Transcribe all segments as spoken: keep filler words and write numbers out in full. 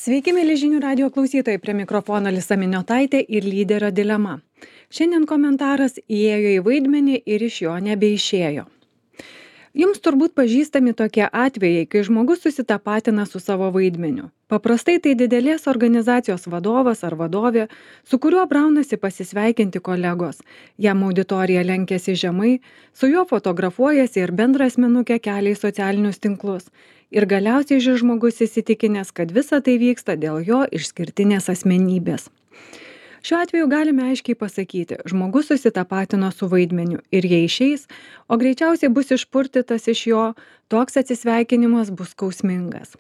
Sveiki, mėly žinių radio klausytojai, prie mikrofono Lisa Miniotaitė ir lyderio dilema. Šiandien komentaras įėjo į vaidmenį ir iš jo nebeišėjo. Jums turbūt pažįstami tokie atvejai, kai žmogus susitapatina su savo vaidmeniu. Paprastai tai didelės organizacijos vadovas ar vadovė, su kuriuo braunasi pasisveikinti kolegos. Jam auditorija lenkiasi žemai, su juo fotografuojasi ir bendrą asmenukę kelia į socialinius tinklus. Ir galiausiai šis žmogus įsitikinęs, kad visa tai vyksta dėl jo išskirtinės asmenybės. Šiuo atveju galime aiškiai pasakyti, žmogus susitapatino su vaidmeniu ir jei išeis, o greičiausiai bus išpurtytas iš jo, toks atsisveikinimas bus skausmingas.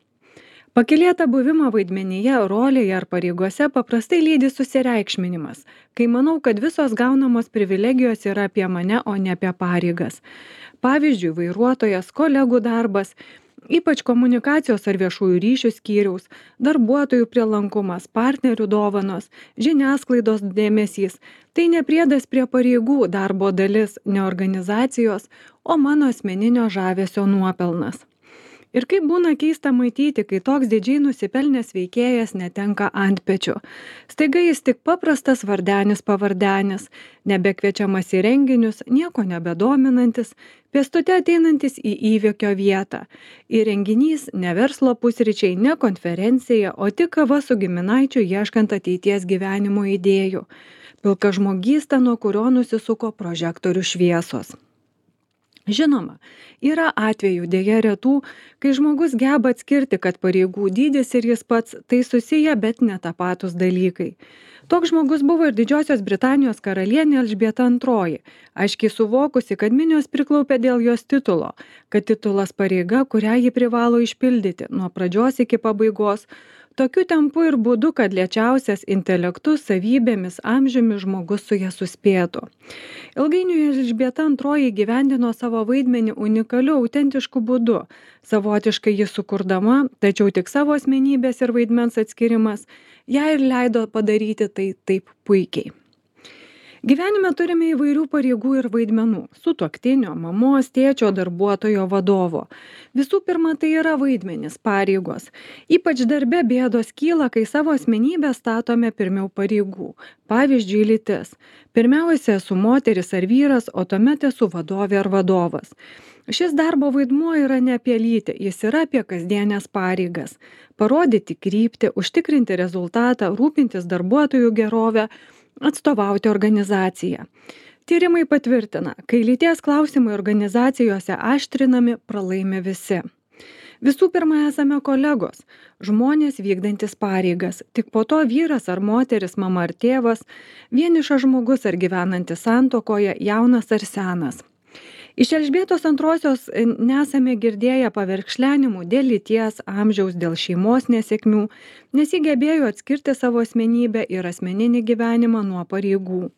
Pakylėtą buvimą vaidmenyje, rolėje ar pareigose paprastai lydi susireikšminimas, kai manau, kad visos gaunamos privilegijos yra apie mane, o ne apie pareigas. Pavyzdžiui, vairuotojas, kolegų darbas, ypač komunikacijos ar viešųjų ryšių skyriaus, darbuotojų prielankumas, partnerių dovanos, žiniasklaidos dėmesys. Tai ne priedas prie pareigų darbo dalis, ne organizacijos, o mano asmeninio žavesio nuopelnas. Ir kaip būna keista matyti, kai toks didžiai nusipelnęs veikėjas netenka antpečių. Staiga jis tik paprastas vardenis pavardenis, nebekviečiamas į renginius, nieko nebedominantis, pėstute ateinantis į įvykio vietą. Ir renginys ne verslo pusryčiai, ne konferencija, o tik kava su giminaičiu ieškant ateities gyvenimo idėjų. Pilka žmogysta, nuo kurio nusisuko prožektorių šviesos. Žinoma, yra atvejų dėja retų, kai žmogus geba atskirti, kad pareigų dydis ir jis pats tai susiję, bet netapatūs dalykai. Toks žmogus buvo ir Didžiosios Britanijos karalienė Elžbieta antroji, aiškiai suvokusi, kad minios priklaupė dėl jos titulo, kad titulas pareiga, kurią ji privalo išpildyti nuo pradžios iki pabaigos, tokiu tempu ir būdu, kad lėčiausias intelektu, savybėmis, amžiumi žmogus su ja suspėtų. Ilgainiui Elžbieta antroji įgyvendino savo vaidmenį unikaliu, autentišku būdu, savotiškai jį sukurdama, tačiau tik savo asmenybės ir vaidmens atskirimas ją ir leido padaryti tai taip puikiai. Gyvenime turime įvairių pareigų ir vaidmenų – sutuoktinio, mamos, tėčio, darbuotojo, vadovo. Visų pirma, tai yra vaidmenys, pareigos. Ypač darbe bėdos kyla, kai savo asmenybę statome pirmiau pareigų. Pavyzdžiui, lytis. Pirmiausia, esu moteris ar vyras, o tuomet esu vadovė ar vadovas. Šis darbo vaidmuo yra ne apie lytį, jis yra apie kasdienės pareigas. Parodyti kryptį, užtikrinti rezultatą, rūpintis darbuotojų gerovę, atstovauti organizaciją. Tyrimai patvirtina, kai lyties klausimai organizacijose aštrinami, pralaimi visi. Visų pirma, esame kolegos, žmonės vykdantis pareigas, tik po to vyras ar moteris, mama ar tėvas, vienišas žmogus ar gyvenantis santuokoje, jaunas ar senas. Iš Elžbietos antrosios nesame girdėję paverkšlenimų dėl lyties, amžiaus, dėl šeimos nesėkmių, nes ji gebėjo atskirti savo asmenybę ir asmeninį gyvenimą nuo pareigų.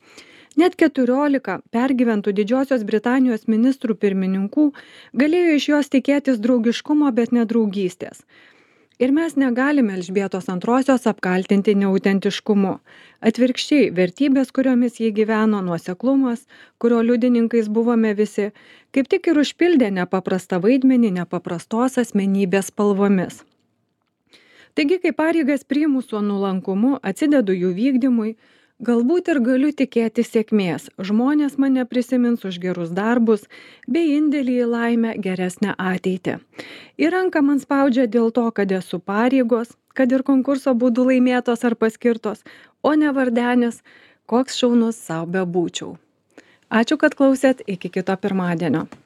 Net keturiolika pergyventų Didžiosios Britanijos ministrų pirmininkų galėjo iš jos tikėtis draugiškumo, bet ne draugystės. Ir mes negalime Elžbietos antrosios apkaltinti neautentiškumu. Atvirkščiai, vertybės, kuriomis jį gyveno, nuoseklumas, kurio liudininkais buvome visi, kaip tik ir užpildė nepaprastą vaidmenį nepaprastos asmenybės spalvomis. Taigi, kai pareigas priimu su nuolankumu, atsidedu jų vykdymui, galbūt ir galiu tikėti sėkmės. Žmonės mane prisimins už gerus darbus, bei indėlį į laimę geresnę ateitį. Ir ranką man spaudžia dėl to, kad esu pareigos, kad ir konkurso būdu laimėtos ar paskirtos, o ne vardenis, koks šaunus sau bebūčiau. Ačiū, kad klausėt, iki kito pirmadienio.